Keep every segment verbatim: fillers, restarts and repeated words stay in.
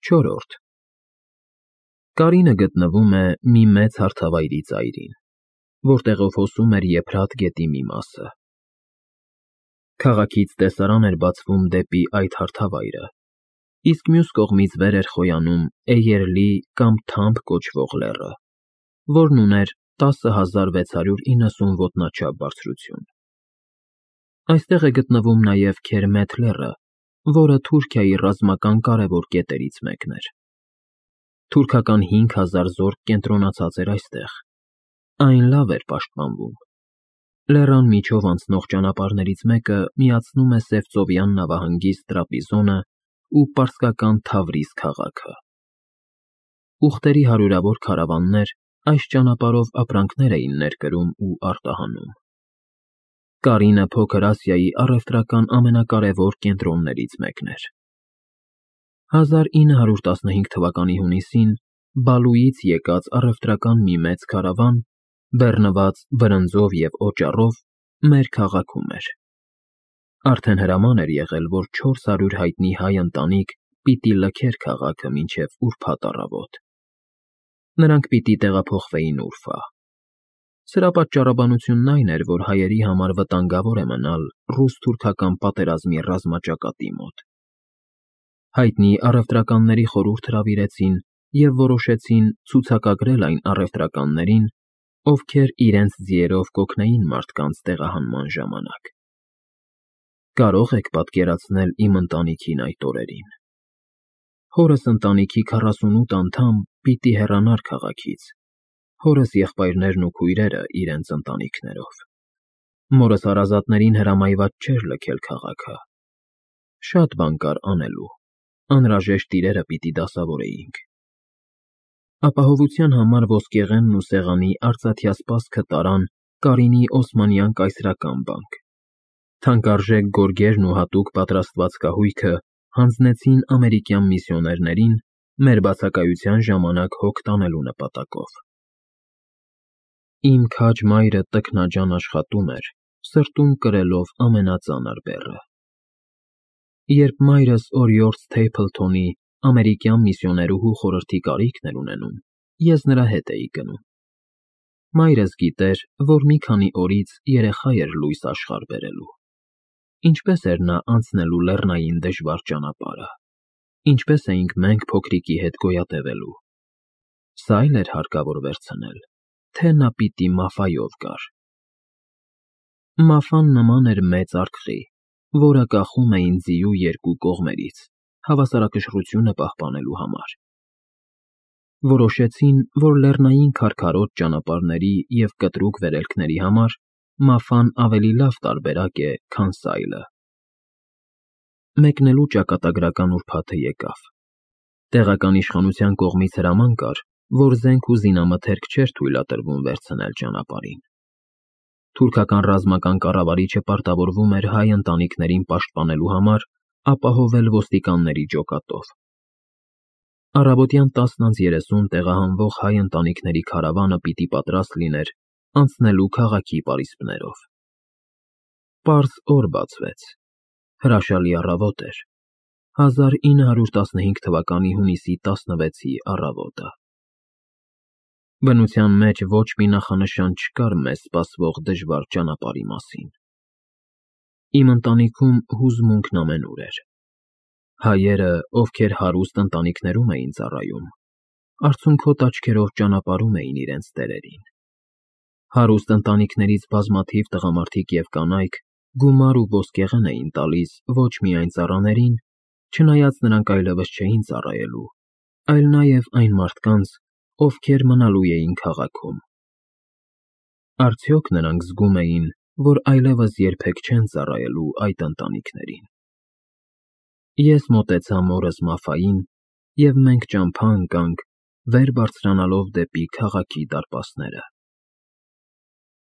Չորրորդ Կարինը գտնվում է մի մեծ հարթավայրի ծայրին, որտեղով հոսում էր Եփրատ գետի մի մասը։ Քաղաքից տեսարան էր բացվում դեպի այդ հարթավայրը, իսկ մյուս կողմից վեր էր խոյանում Էյերլի կամ Թամբ կոչվող լեռը, որն ուներ տասը հազար վեց հարյուր իննսուն ոտնաչափ բարձրություն։ Այստեղ է գտնվում նաև Քերմեթ լեռը, որը Թուրքիայի ռազմական կարևոր կետերից մեկն էր։ Թուրքական հինգ հազար զորք կենտրոնացած էր այստեղ։ Այն լավ էր պաշտպանվում։ Լեռան միջով անցնող ճանապարհներից մեկը միացնում է Սևծովյան նավահանգիստ Տրապիզոնը ու պարսկական Թավրիզ քաղաքը։ Ուղտերի հարյուրավոր քարավաններ այս ճանապարհով ապրանքներ էին ներկրում ու արտահանում։ Կարինը Փոքր Ասիայի առևտրական ամենակարևոր կենտրոններից մեկն էր։ հազար ինը հարյուր տասնհինգ թվականի հունիսին Բալուից եկած առևտրական մի մեծ քարավան, բեռնված բրնձով և օճառով, մեր քաղաքում էր։ Արդեն հրաման էր եղել, որ չորս հարյուր հայտնի հայ ընտանիք պիտի լքեր քաղաքը մինչև ուրբաթ առավոտ։ Նրանք պիտի տեղափոխվեին Ուրֆա։ Սրա պատճառաբանությունն այն էր, որ հայերի համար վտանգավոր է մնալ ռուս֊թուրքական պատերազմի ռազմաճակատի մոտ։ Հայտնի առևտրականների խորհուրդ հրավիրեցին և որոշեցին ցուցակագրել այն առևտրականներին, ովքեր իրենց ձիերով կօգնեին մարդկանց տեղահանման ժամանակ։ Կարո՞ղ եք պատկերացնել իմ ընտանիքին այդ օրերին։ Հորս ընտանիքի քառասունութ անդամ պիտի հեռանար քաղաքից, հորս եղբայրներն ու քույրերը իրենց ընտանիքներով։ Մորս հարազատներին հրամայված չէր լքել քաղաքը։ Շատ բան կար անելու, անհրաժեշտ իրերը պիտի դասավորեինք։ Ապահովության համար ոսկեղենն ու սեղանի արծաթյա սպասքը տարան Կարինի Օսմանյան կայսրական բանկ։ Թանկարժեք գորգերն ու հատուկ պատրաստված կահույքը հանձնեցին ամերիկյան միսիոներներին մեր բացակայության ժամանակ հոգ տանելու նպատակով։ Իմ քաջ մայրը տքնաջան աշխատում էր, սրտում կրելով ամենածանր բեռը։ Երբ մայրս օրիորդ Սթեյփլթոնի ամերիկյան միսիոներուհու խորհրդի կարիքն էր ունենում, ես նրա հետ էի գնում։ Մայրս գիտեր, որ մի քանի օրից երեխա էր լույս աշխարհ բերելու։ Ինչպես էր նա անցնելու լեռնային դժվար ճանապարհը։ Ինչպես էինք մենք փոքրիկի հետ գոյատևելու։ Սա էլ էր հարկավոր վերցնել, թե նա պիտի Մաֆայով գար։ Մաֆան նման էր մեծ արկղի, որը կախում էին ձիու երկու կողմերից, հավասարակշռությունը պահպանելու համար։ Որոշեցին, որ լեռնային քարքարոտ ճանապարհների և կտրուկ վերելքների համար Մաֆան ավելի լավ տարբերակ է, քան սայլը։ Մեկնելու ճակատագրական ուրբաթը եկավ։ Տեղական իշխանության կողմից հրաման կար, որ զենք ու զինամթերք չէր թույլատրվում վերցնել ճանապարհին։ Թուրքական ռազմական կառավարիչը պարտավորվում էր հայ ընտանիքներին պաշտպանելու համար ապահովել ոստիկանների ջոկատով։ Առավոտյան տասն անց երեսուն տեղահանվող հայ ընտանիքների քարավանը պիտի պատրաստ լիներ անցնելու քաղաքի պարիսպներով։ Պարզ օր բացվեց։ Հրաշալի առավոտ էր։ հազար ինը հարյուր տասնհինգ թվականի հունիսի տասնվեցի առավոտը։ Բնության մեջ ոչ մի նախանշան չկար մեզ սպասվող դժվար ճանապարհի մասին։ Իմ ընտանիքում հուզմունքն ամենուր էր։ Հայերը, ովքեր հարուստ ընտանիքներում էին ծառայում, արցունքոտ աչքերով ճանապարհում էին իրենց տերերին։ Հարուստ ընտանիքներից բազմաթիվ տղամարդիկ և կանայք գումար ու ոսկեղեն էին տալիս ոչ միայն ծառաներին, չնայած նրանք այլևս չէին ծառայելու, այլ նաև այն մարդկանց, ովքեր մնալու էին քաղաքում։ Արդյոք նրանք զգում էին, որ այլևս երբեք չեն ծառայելու այդ ընտանիքներին։ Ես մոտեցա մորս Մաֆային, և մենք ճամփա ընկանք, վեր բարձրանալով դեպի քաղաքի դարպասները։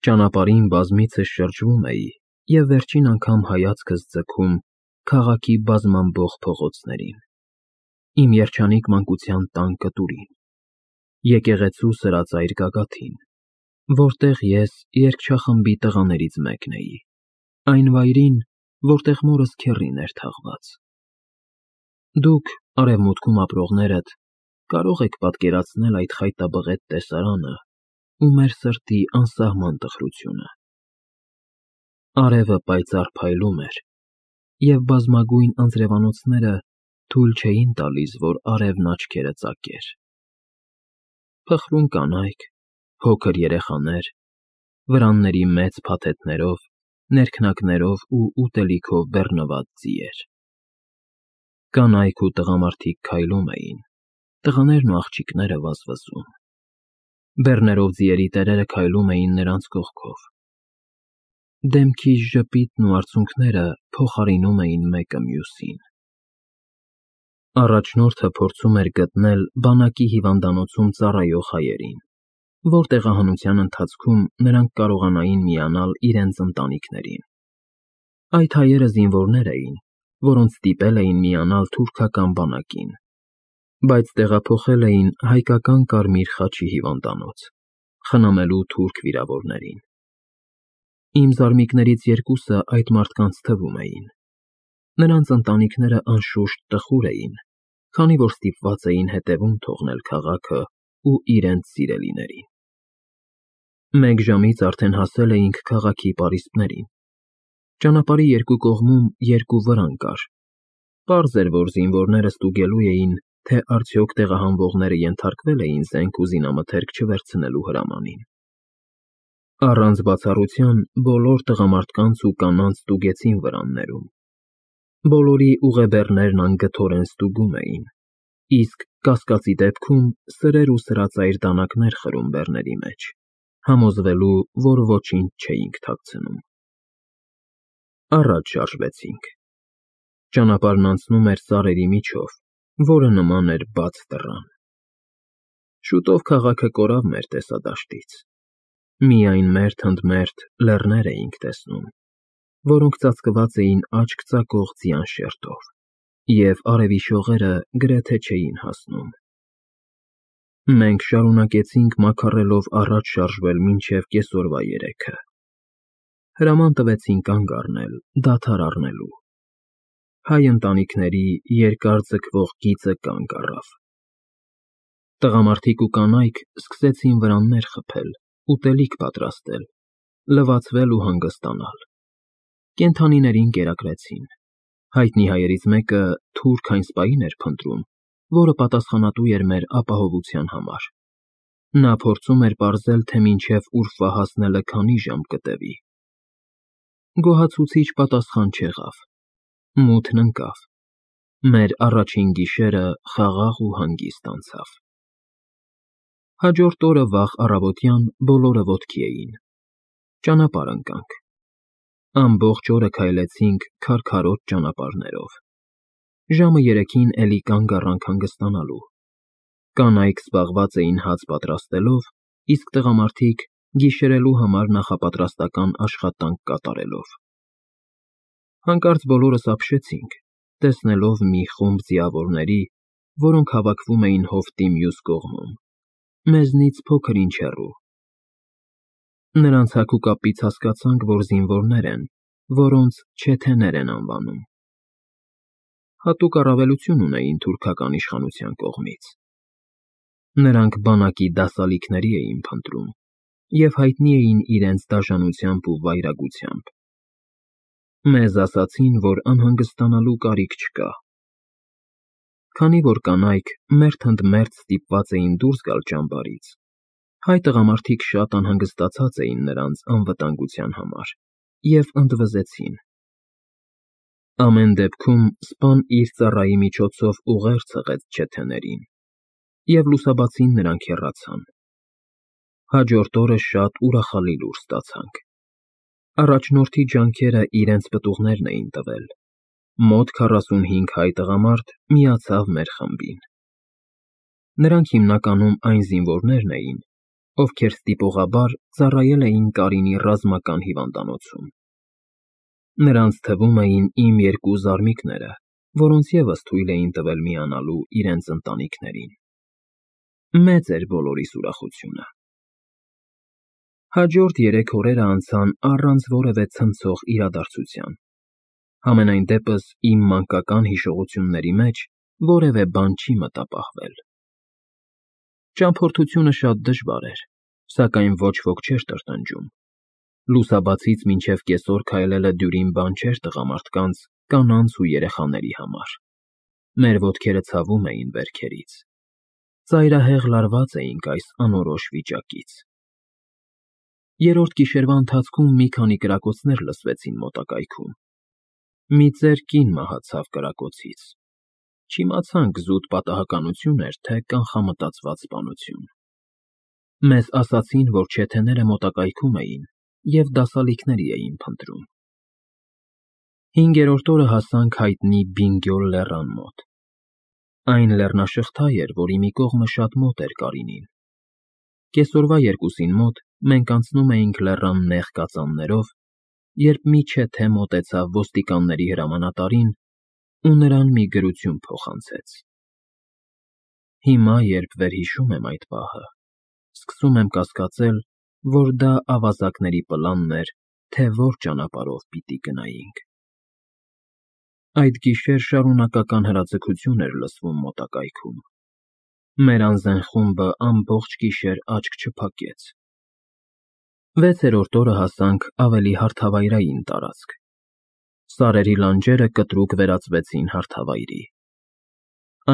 Ճանապարհին բազմիցս շրջվում էի և վերջին անգամ հայացքս ձգում քաղաքի բազմամբող փողոցներին, իմ երջանիկ մանկության տան կտուրին, եկեղեցու սրածայր գագաթին, որտեղ ես երգչախմբի տղաներից մեկն էի, այն վայրին, որտեղ մորս քեռին էր թաղված։ Դուք Արևմուտքում ապրողներդ կարող եք պատկերացնել այդ խայտաբղետ տեսարանը ու մեր սրտի անսահման տխրությունը։ Արևը պայծառ փայլում էր, և բազմագույն անձրևանոցները թույլ չէին տալիս, որ արևն աչքերը ծակեր։ Փխրուն կանայք, փոքր երեխաներ, վրանների մեծ փաթեթներով, ներքնակներով ու ուտելիքով բեռնված ձիեր։ Կանայք ու տղամարդիկ քայլում էին, տղաներն ու աղջիկները վազվզում։ Բեռներով ձիերի տերերը քայլում էին նրանց կողքով։ Դեմքի ժպիտն ու արցունքները փոխարինում էին մեկը մյուսին։ Առաջնորդը փորձում էր գտնել բանակի հիվանդանոցում ծառայող հայերին, որ տեղահանության ընթացքում նրանք կարողանային միանալ իրենց ընտանիքներին։ Այդ հայերը զինվորներ էին, որոնց ստիպել էին միանալ թուրքական բանակին, բայց տեղափոխել էին հայկական Կարմիր խաչի հիվանդանոց՝ խնամելու թուրք վիրավորներին։ Իմ զարմիկներից երկուսը այդ մարդկանց թվում էին։ Նրանց ընտանիքները անշուշտ տխուր էին, քանի որ ստիպված էին հետևում թողնել քաղաքը ու իրենց սիրելիներին։ Մեկ ժամից արդեն հասել էինք քաղաքի պարիսպներին։ Ճանապարհի երկու կողմում երկու վրան կար։ Պարզ էր, որ զինվորները ստուգելու էին, թե արդյոք տեղահանվողները ենթարկվել էին զենք ու զինամթերք չվերցնելու հրամանին։ Առանց բացառության բոլոր տղամարդկանց ու կանանց ստուգեցին վրաններում։ Բոլորի ուղեբեռներն անգթորեն ստուգում էին, իսկ կասկածի դեպքում սրեր ու սրածայր դանակներ խրում բեռների մեջ, համոզվելու, որ ոչինչ չէինք թաքցնում։ Առաջ շարժվեցինք։ Ճանապարհն անցնում էր սարերի միջով, որը նման էր բաց դռան։ Շուտով քաղաքը կորավ մեր տեսադաշտից։ Միայն մերթ-ընդմերթ լեռներ էինք տեսնում, որոնք ծածկված էին աչք ծակող ձյան շերտով, և արևի շողերը գրեթե չէին հասնում։ Մենք շարունակեցինք մաքառելով առաջ շարժվել մինչև կեսօրվա երեքը։ Հրաման տվեցին կանգ առնել, դադար առնելու։ Հայ ընտանիքների երկար ձգվող գիծը կանգ առավ։ Տղամարդիկ ու կանայք սկսեցին վրաններ խփել, ուտելիք պատրաստել, լվացվել ու հանգստանալ։ Կենդանիներին կերակրեցին։ Հայտնի հայերից մեկը թուրք այն սպային էր փնտրում, որը պատասխանատու էր մեր ապահովության համար։ Նա փորձում էր պարզել, թե մինչև Ուրֆա հասնելը քանի ժամ կտևի։ Գոհացուցիչ պատասխան չեղավ։ Մութն ընկավ։ Մեր առաջին գիշերը խաղաղ ու հանգիստ անցավ։ Հաջորդ օրը վաղ առավոտյան բոլորը ոտքի էին։ Ճանապարհ ընկանք։ Ամբողջ օրը քայլեցինք քարքարոտ ճանապարհներով։ Ժամը երեքին էլի կանգ առանք հանգստանալու։ Կանայք զբաղված էին հաց պատրաստելով, իսկ տղամարդիկ գիշերելու համար նախապատրաստական աշխատանք կատարելով։ Հանկարծ բոլորս ապշեցինք, տեսնելով մի խումբ ձիավորների, որոնք հավաքվում էին հովտի մյուս կողմում, մեզնից փոքր-ինչ հեռու։ Նրանց հագուկապից հասկացանք, որ զինվորներ են, որոնց չեթեներ են անվանում։ Հատուկ առավելություն ունեին թուրքական իշխանության կողմից։ Նրանք բանակի դասալիքների էին փնտրում և հայտնի էին իրենց դաժանությամբ ու վայրագությամբ։ Մեզ ասացին, որ անհանգստանալու կարիք չկա։ Քանի որ կանայք մերթ-ընդմերթ ստիպված էին դուրս գալ ճամբարից, հայ տղամարդիկ շատ անհանգստացած էին նրանց անվտանգության համար և ընդվզեցին։ Ամեն դեպքում սպան իր ծառայի միջոցով ուղեր ցղեց չեթեներին, և լուսաբացին նրանք հեռացան։ Հաջորդ օրը շատ ուրախալի լուր ստացանք։ Առաջնորդի ջանքերը իրենց պտուղներն էին տվել։ Մոտ քառասունհինգ հայ տղամարդ միացավ մեր խմբին։ Նրանք հիմնականում այն զինվորներն էին, ովքեր ստիպողաբար ծառայել էին Կարինի ռազմական հիվանդանոցում։ Նրանց թվում էին իմ երկու զարմիկները, որոնց ևս թույլ էին տվել միանալու իրենց ընտանիքներին։ Մեծ էր բոլորիս ուրախությունը։ Հաջորդ երեք օրերը անցան առանց որևէ ցնցող իրադարձության։ Համենայն դեպս, իմ մանկական հիշողությունների մեջ որևէ բան չի մտապահվել։ Ճամփորդությունը շատ դժվար էր, սակայն ոչ ոք չէր տրտնջում։ Լուսաբացից մինչև կեսօր քայլելը դյուրին բան չէր տղամարդկանց, կանանց ու երեխաների համար։ Մեր ոտքերը ցավում էին վերքերից։ Ծայրահեղ լարված էինք այս անորոշ վիճակից։ Երրորդ գիշերվա ընթացքում մի քանի կրակոցներ լսվեցին մոտակայքում։ Մի ծեր կին մահացավ կրակոցից։ Չիմացանք զուտ պատահականություն էր, թե կանխամտածված սպանություն։ Մեզ ասացին, որ չեթեները մոտակայքում էին և դասալիքների էին փնտրում։ Հինգերորդ օրը հասանք հայտնի Բինգյոլ լեռան մոտ։ Այն լեռնաշղթա էր, որի մի կողմը շատ մոտ էր Կարինին։ Կեսօրվա երկուսին մոտ մենք անցնում էինք լեռան նեղ կածաններով, երբ մի չեթե մոտեցավ ոստիկանների հրամանատարին ու նրան մի գրություն փոխանցեց։ Հիմա, երբ վերհիշում եմ այդ պահը, սկսում եմ կասկածել, որ դա ավազակների պլանն էր, թե որ ճանապարհով պիտի գնայինք։ Այդ գիշեր շարունակական հրաձգություն էր լսվում մոտակայքում։ Մեր անզեն խումբը ամբողջ գիշեր աչք չփակեց։ Վեցերորդ օրը հասանք ավելի հարթավայրային տարածք։ Սարերի լանջերը կտրուկ վերածվեցին հարթավայրի։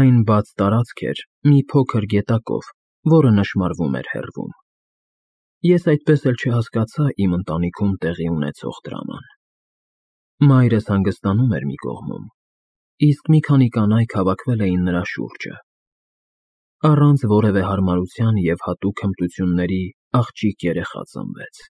Այն բաց տարածք էր մի փոքր գետակով, որը նշմարվում էր հեռվում։ Ես այդպես էլ չհասկացա իմ ընտանիքում տեղի ունեցող դրաման։ Մայրս հանգստանում էր մի կողմում, իսկ մի քանի կանայք հավաքվել էին նրա շուրջը։ Առանց որևէ հարմարության և հատուկ հմտությունների աղջիկ երեխա ծնվեց։